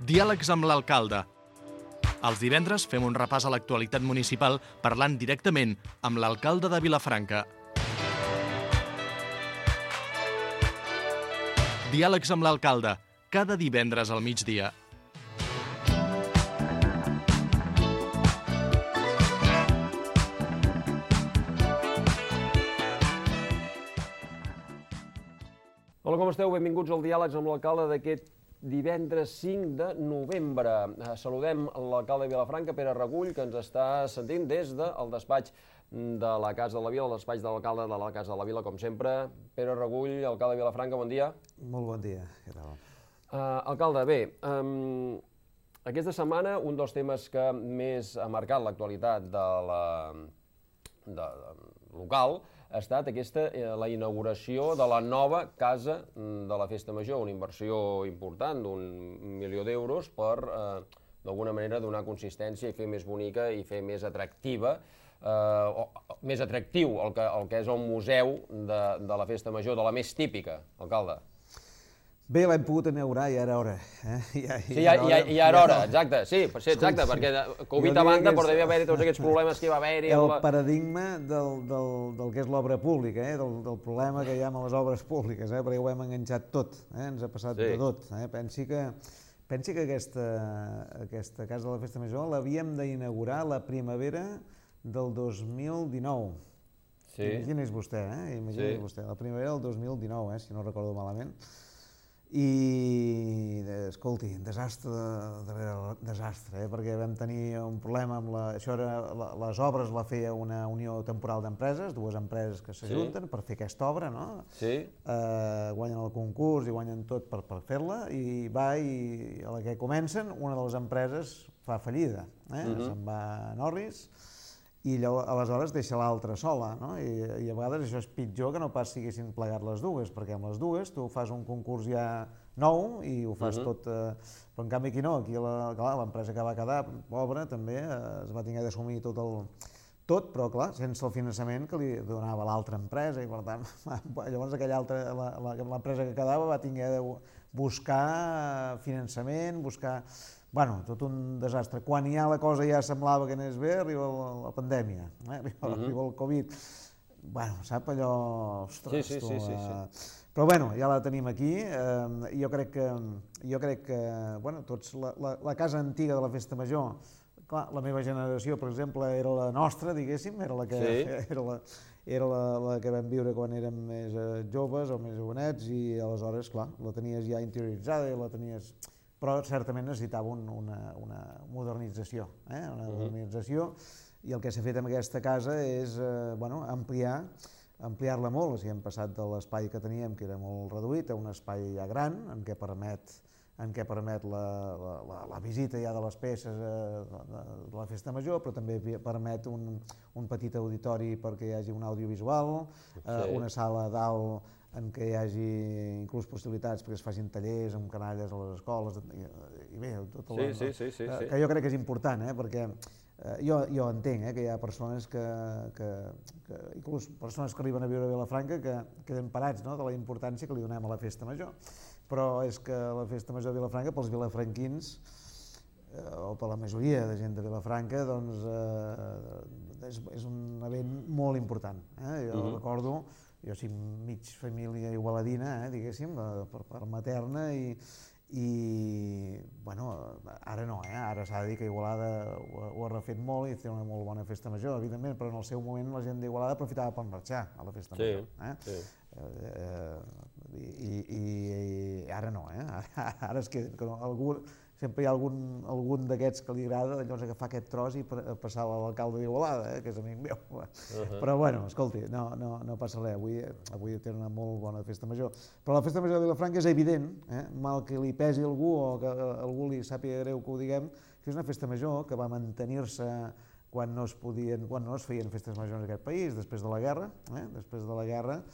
Diàlegs amb l'alcalde. Els divendres fem un repàs a l'actualitat municipal parlant directament amb l'alcalde de Vilafranca. Diàlegs amb l'alcalde, cada divendres al migdia. Hola, com esteu? Benvinguts al Diàlegs amb l'alcalde d'aquest divendres 5 de novembre. Saludem l'alcalde de Vilafranca, Pere Regull, que ens està sentint des del despatx de la Casa de la Vila, el despatx de l'alcalde de la Casa de la Vila, com sempre. Pere Regull, alcalde de Vilafranca, bon dia. Molt bon dia, què tal? Alcalde, bé, aquesta setmana un dels temes que més ha marcat l'actualitat local ha estat la inauguració de la nova Casa de la Festa Major, una inversió important d'1 milió d'euros per, d'alguna manera, donar consistència i fer més bonica i fer més atractiva, més atractiu el que és el museu de la Festa Major, de la més típica, alcalde. Bé, l'hem pogut inaugurar i ja era hora. Sí, ja era hora, exacte, sí, exacte, perquè Covid a banda, però devia haver-hi tots aquests problemes que hi va haver-hi. El paradigma del que és l'obra pública, del problema que hi ha amb les obres públiques, perquè ho hem enganxat tot, ens ha passat de tot. Pensi que aquesta Casa de la Festa Major l'havíem d'inaugurar la primavera del 2019. Imagini's vostè, la primavera del 2019, si no recordo malament. I, escolti, desastre darrere desastre, perquè vam tenir un problema amb les obres la feia una unió temporal d'empreses, dues empreses que s'ajunten per fer aquesta obra, no? Guanyen el concurs i guanyen tot per fer-la, i a la que comencen una de les empreses fa fallida, se'n va a Norris, i aleshores deixa l'altra sola, i a vegades això és pitjor que no pas si haguessin plegat les dues, perquè amb les dues tu fas un concurs ja nou i ho fas tot, però en canvi aquí no, aquí l'empresa que va quedar, pobra, també es va haver d'assumir tot, però clar, sense el finançament que li donava l'altra empresa, i per tant, llavors l'empresa que quedava va haver de buscar finançament, Bueno, tot un desastre. Quan ja la cosa ja semblava que anés bé, arriba la pandèmia, arriba el Covid. Bueno, sap allò... Ostres, però bueno, ja la tenim aquí. Jo crec que tots, la casa antiga de la Festa Major, clar, la meva generació, per exemple, era la nostra, diguéssim, era la que vam viure quan érem més joves o més jovenets, i aleshores, clar, la tenies ja interioritzada i la tenies... Però certament necessitava una modernització, i el que s'ha fet amb aquesta casa és ampliar-la molt. O sigui, hem passat de l'espai que teníem, que era molt reduït, a un espai ja gran, en què permet la visita ja de les peces de la Festa Major, però també permet un petit auditori perquè hi hagi un audiovisual, una sala dalt en què hi hagi inclús possibilitats perquè es facin tallers amb canalles a les escoles, i bé, tot el... Que jo crec que és important, perquè jo entenc que hi ha persones inclús persones que arriben a viure a Vilafranca que queden parats de la importància que li donem a la Festa Major, però és que la Festa Major de Vilafranca, pels vilafranquins, o per la majoria de gent de Vilafranca, doncs és un event molt important. Jo recordo, jo soc mig família igualadina, diguéssim, per materna, i ara no, ara s'ha de dir que Igualada ho ha refet molt i té una molt bona Festa Major, evidentment, però en el seu moment la gent d'Igualada aprofitava per marxar a la Festa Major. I ara no, ara es queden... Sempre hi ha algun d'aquests que li agrada llavors agafar aquest tros i passar a l'alcalde d'Igualada, que és amic meu. Però bueno, escolti, no passa res, avui té una molt bona Festa Major. Però la Festa Major de Vilafranca és evident, mal que li pesi a algú o que a algú li sàpiga greu que ho diguem, que és una Festa Major que va mantenir-se quan no es feien festes majors en aquest país, després de la guerra. Després de la guerra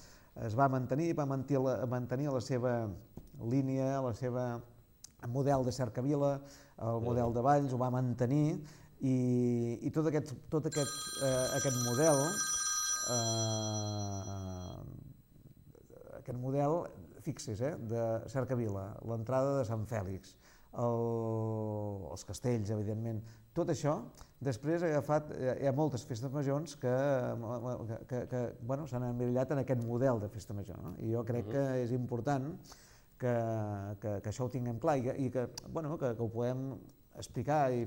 es va mantenir la seva línia, la seva model de cercavila, el model de Valls, ho va mantenir, i tot aquest model, fixi's, de cercavila, l'entrada de Sant Fèlix, els castells, evidentment, tot això, després hi ha moltes festes majors que s'han emmirallat en aquest model de festa major, no? I jo crec que és important que això ho tinguem clar i que ho podem explicar i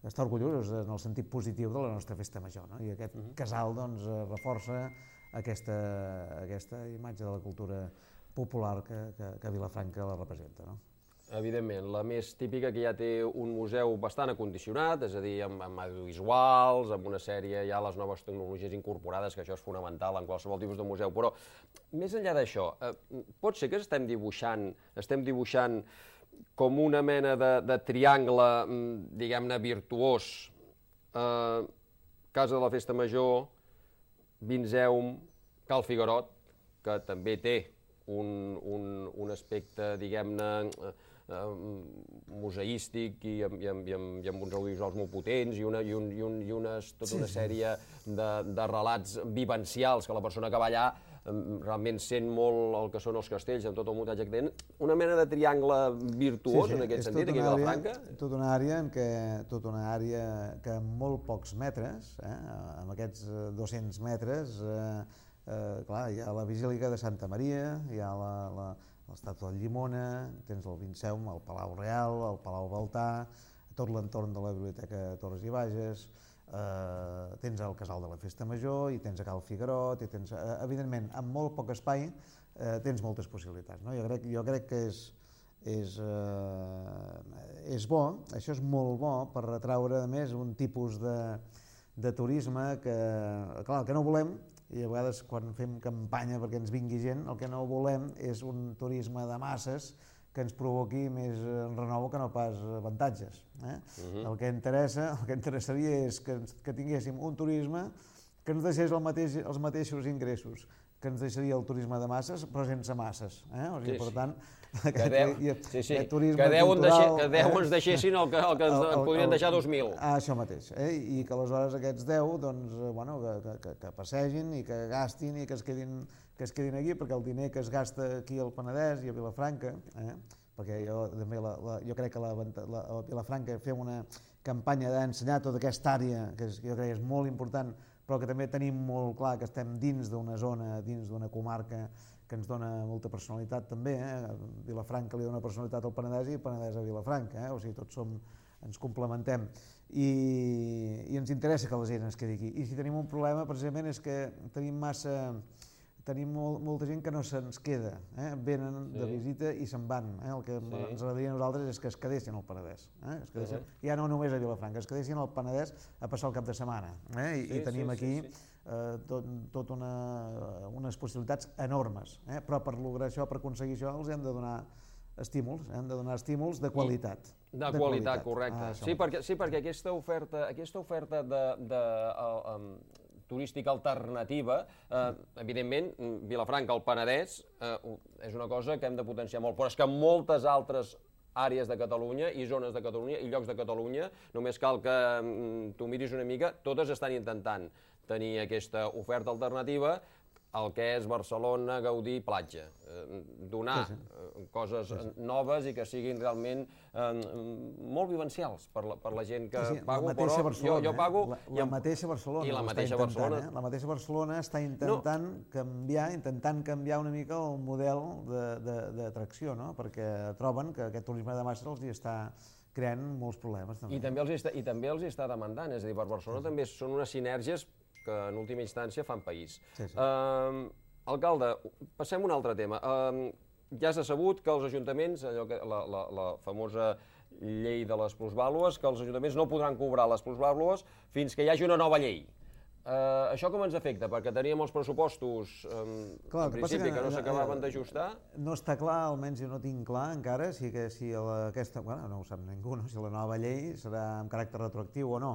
estar orgullosos en el sentit positiu de la nostra festa major, no? I aquest casal reforça aquesta imatge de la cultura popular que Vilafranca la representa, no? Evidentment, la més típica que ja té un museu bastant acondicionat, és a dir, amb audiovisuals, amb una sèrie, ja les noves tecnologies incorporades, que això és fonamental en qualsevol tipus de museu, però més enllà d'això, pot ser que estem dibuixant com una mena de triangle, diguem-ne, virtuós, Casa de la Festa Major, Vinzeum, Cal Figuerot, que també té un aspecte, diguem-ne, museístic i amb uns audiovisuals molt potents i tota una sèrie de relats vivencials que la persona que va allà realment sent molt el que són els castells, amb tot el muntatge que tenen, una mena de triangle virtuós en aquest sentit, aquí a Vilafranca. Tota una àrea que en molt pocs metres, amb aquests 200 metres, clar, hi ha la Basílica de Santa Maria, hi ha l'estàtua de Llimona, tens el Vinceum, el Palau Real, el Palau Baltà, tot l'entorn de la Biblioteca Torres i Bages, tens el Casal de la Festa Major i tens a Cal Figuerot, i tens, evidentment, amb molt poc espai tens moltes possibilitats, no? Jo crec que és bo, això és molt bo per atraure, a més, un tipus de turisme que, clar, el que no volem, i a vegades quan fem campanya perquè ens vingui gent, el que no volem és un turisme de masses que ens provoqui més renou que no pas avantatges. El que interessaria és que tinguéssim un turisme que ens deixés els mateixos ingressos que ens deixaria el turisme de masses, però sense masses. Per tant, aquest turisme cultural... Que 10 ens deixessin el que en podrien deixar 2.000. Això mateix. I que aleshores aquests 10 que passegin i que gastin i que es quedin aquí, perquè el diner que es gasta aquí al Penedès i a Vilafranca, perquè jo crec que a Vilafranca fem una campanya d'ensenyar tota aquesta àrea, que jo crec que és molt important, però que també tenim molt clar que estem dins d'una zona, dins d'una comarca que ens dona molta personalitat també. Vilafranca li dona personalitat al Penedès i el Penedès a Vilafranca, o sigui, tots ens complementem i ens interessa que la gent es quedi aquí. I si tenim un problema precisament és que tenim molta gent que no se'ns queda, venen de visita i se'n van. El que ens agradaria a nosaltres és que es quedessin al Penedès, ja no només a Vilafranca, es quedessin al Penedès a passar el cap de setmana. I tenim aquí tot unes possibilitats enormes, però per lograr això, per aconseguir això, els hem de donar estímuls de qualitat. De qualitat, correcte. Sí, perquè aquesta oferta turística alternativa, evidentment, Vilafranca, el Penedès, és una cosa que hem de potenciar molt, però és que moltes altres àrees de Catalunya i zones de Catalunya i llocs de Catalunya, només cal que tu miris una mica, totes estan intentant tenir aquesta oferta alternativa al que és Barcelona, Gaudí, platja. Donar coses noves i que siguin realment molt vivencials per la gent que pago, però jo pago... La mateixa Barcelona. I la mateixa Barcelona. La mateixa Barcelona està intentant canviar una mica el model d'atracció, perquè troben que aquest turisme de masses els hi està creant molts problemes. I també els hi està demandant, és a dir, per Barcelona també són unes sinergies que en última instància fan país. Alcalde, passem a un altre tema. Ja s'ha sabut que els ajuntaments, la famosa llei de les plusvàlues, que els ajuntaments no podran cobrar les plusvàlues fins que hi hagi una nova llei. Això com ens afecta? Perquè teníem els pressupostos, en principi, que no s'acabaven d'ajustar. No està clar, almenys jo no tinc clar encara, si aquesta, no ho sap ningú, si la nova llei serà amb caràcter retroactiu o no.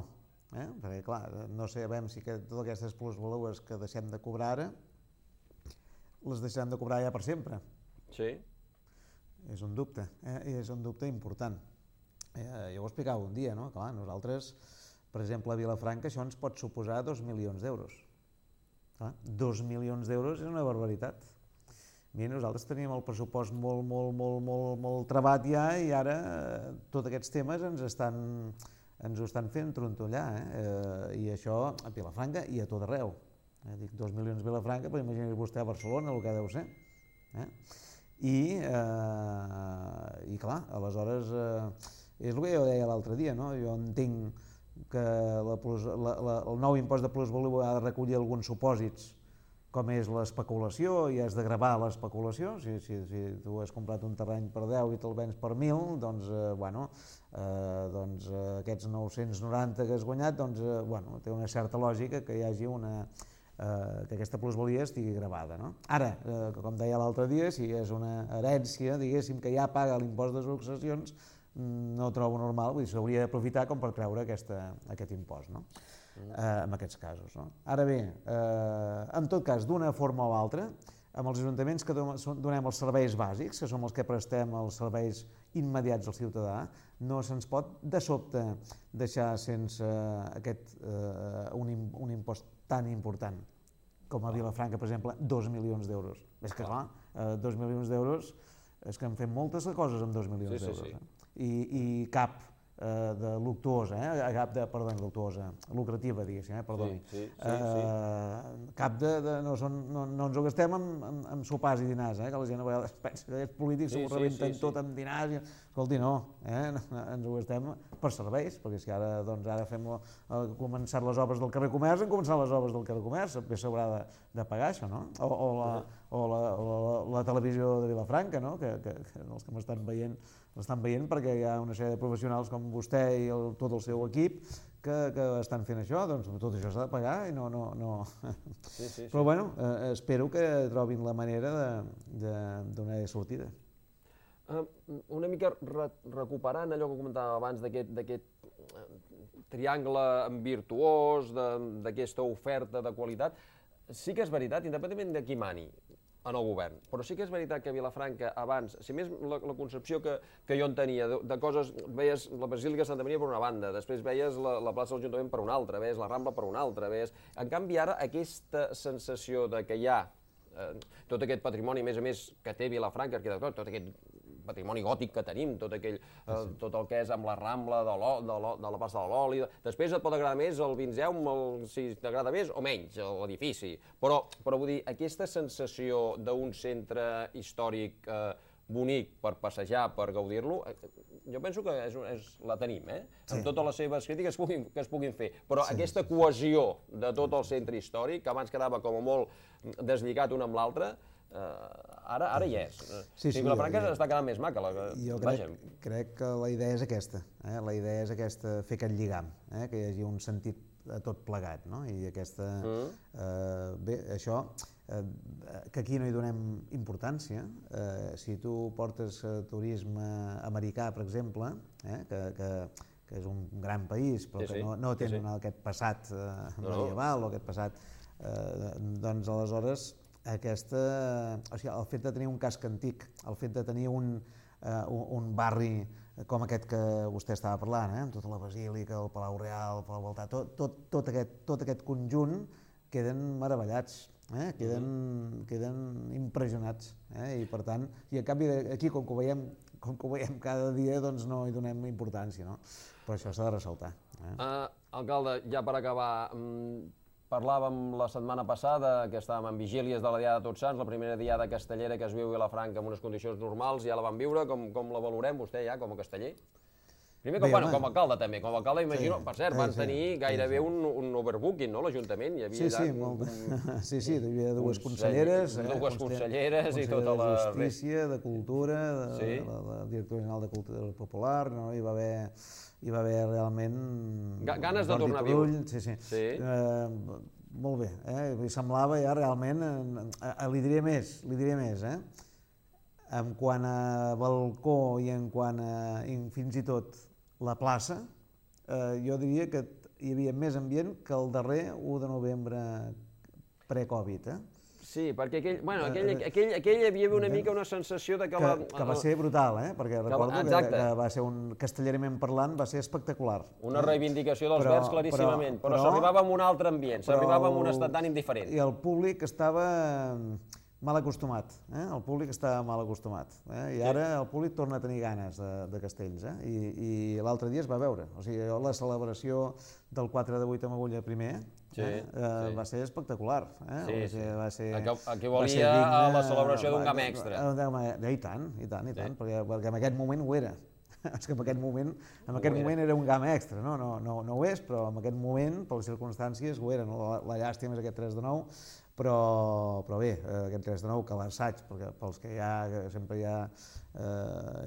Perquè, clar, no sabem si totes aquestes plusvàlues que deixem de cobrar ara les deixaran de cobrar ja per sempre. Sí. És un dubte, és un dubte important. Jo ho explicava un dia, no? Clar, nosaltres, per exemple, a Vilafranca això ens pot suposar 2 milions d'euros. 2 milions d'euros és una barbaritat. Mira, nosaltres teníem el pressupost molt trebat ja i ara tots aquests temes ens ho estan fent trontollar, i això a Vilafranca i a tot arreu. Dic 2 milions a Vilafranca, però imagini's vostè a Barcelona el que deu ser. I clar, aleshores, és el que jo deia l'altre dia, no? Jo entenc que el nou impost de plusvalua ha de recollir alguns supòsits com és l'especulació, i has de gravar l'especulació. Si tu has comprat un terreny per 10 i te'l vens per 1.000, doncs aquests 990 que has guanyat, té una certa lògica que hi hagi que aquesta plusvalia estigui gravada. Ara, com deia l'altre dia, si és una herència, diguéssim, que ja paga l'impost de successions, no ho trobo normal, vull dir, s'hauria d'aprofitar com per treure aquest impost, en aquests casos. Ara bé, en tot cas, d'una forma o altra, amb els ajuntaments que donem els serveis bàsics, que som els que prestem els serveis immediats al ciutadà, no se'ns pot de sobte deixar sense un impost tan important com a Vilafranca, per exemple, 2 milions d'euros. És que clar, 2 milions d'euros, és que en fem moltes coses amb 2 milions d'euros. I cap de luctuosa, luctuosa, lucrativa, diguéssim, perdoni. Cap no ens ho gastem amb sopars i dinars, que la gent a vegades pensa que aquests polítics s'ho rebenten tot amb dinars. Escolti, no, ens ho gastem per serveis, perquè si ara fem començar les obres del carrer Comerç, han començat les obres del carrer Comerç, bé s'haurà de pagar això, no? O la televisió de Vilafranca, que els que m'estan veient l'estan veient perquè hi ha una sèrie de professionals com vostè i tot el seu equip que estan fent això, doncs tot això s'ha de pagar i no... Però bueno, espero que trobin la manera de donar sortida. Una mica recuperant allò que comentàvem abans d'aquest triangle virtuós, d'aquesta oferta de qualitat, sí que és veritat, independentment de qui mani en el govern, però sí que és veritat que a Vilafranca abans, si més la concepció que jo en tenia de coses, veies la Basílica de Santa Maria per una banda, després veies la plaça de l'Ajuntament per una altra, veies la Rambla per una altra, en canvi ara aquesta sensació de que hi ha tot aquest patrimoni, a més que té Vilafranca, arquitectònic, tot aquest patrimoni gòtic que tenim, tot el que és amb la Rambla de la plaça de l'Oli. Després et pot agradar més el Vinceum, si t'agrada més o menys l'edifici, però vull dir, aquesta sensació d'un centre històric bonic per passejar, per gaudir-lo, jo penso que la tenim, amb totes les seves crítiques que es puguin fer, però aquesta cohesió de tot el centre històric, que abans quedava com a molt deslligat un amb l'altre, ara hi és. Vilafranca està quedant més maca. Jo crec que la idea és aquesta, la idea és aquesta, fer aquest lligam, que hi hagi un sentit a tot plegat, i aquesta... Bé, això, que aquí no hi donem importància, si tu portes turisme americà, per exemple, que és un gran país, però que no tenen aquest passat medieval o aquest passat, doncs aleshores el fet de tenir un casc antic, el fet de tenir un barri com aquest que vostè estava parlant, amb tota la Basílica, el Palau Real, el Palau Baltà, tot aquest conjunt queden meravellats, queden impressionats, i per tant, i en canvi aquí com que ho veiem cada dia doncs no hi donem importància, però això s'ha de ressaltar. Alcalde, ja per acabar, parlàvem la setmana passada que estàvem en vigílies de la Diada de Tots Sants, la primera Diada castellera que es viu a Vilafranca en unes condicions normals, ja la vam viure, com la valorem vostè ja com a casteller? Primer, com a alcalde també, com a alcalde imagino, per cert, van tenir gairebé un overbooking, no, l'Ajuntament? Sí, hi havia dues conselleres. Dues conselleres i tota la... De Justícia, de Cultura, la Directora General de Cultura Popular, hi va haver realment... Ganes de tornar a viure. Sí. Molt bé, semblava ja realment... Li diré més, en quant a balcó i en quant a fins i tot la plaça, jo diria que hi havia més ambient que el darrer 1 de novembre pre-Covid. Sí, perquè aquell hi havia una mica una sensació de que... Que va ser brutal, perquè recordo que va ser castellerament parlant, va ser espectacular. Una reivindicació dels verds claríssimament, però s'arribava amb un altre ambient, s'arribava amb un estat d'ànim diferent. I el públic estava mal acostumat, el públic està mal acostumat, i ara el públic torna a tenir ganes de castells, i l'altre dia es va veure, o sigui, la celebració del 4 de 8 amb agulla primer va ser espectacular, va ser... Aquí volia la celebració d'un gam extra. I tant, perquè en aquest moment ho era. És que en aquest moment era un gam extra, no ho és, però en aquest moment, per les circumstàncies, ho era. La llàstima és aquest 3 de 9, però bé, aquest 3 de 9 que l'assaig, perquè pels que sempre hi ha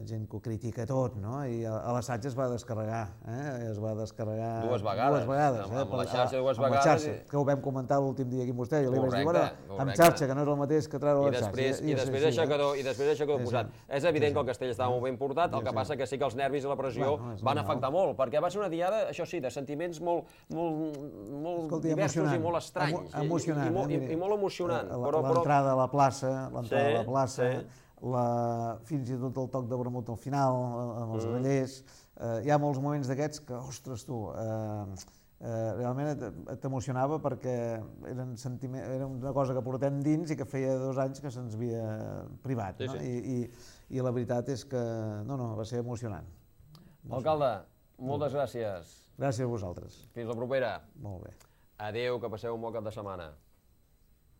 gent que ho critica tot, i a l'assaig es va descarregar, dues vegades, amb la xarxa dues vegades, que ho vam comentar l'últim dia aquí amb vostè, i li vaig dir, bueno, amb xarxa, que no és el mateix que treure la xarxa. I després d'això posat. És evident que el castell estava molt ben portat, el que passa que sí que els nervis i la pressió van afectar molt, perquè va ser una diada, això sí, de sentiments molt diversos i molt estranys. Emocionant. I molt emocionant. L'entrada a la plaça, fins i tot el toc de vermut al final, amb els grellers. Hi ha molts moments d'aquests que, ostres, tu, realment t'emocionava perquè era una cosa que portem dins i que feia 2 anys que se'ns havia privat. I la veritat és que, va ser emocionant. Alcalde, moltes gràcies. Gràcies a vosaltres. Fins la propera. Molt bé. Adéu, que passeu un bon cap de setmana.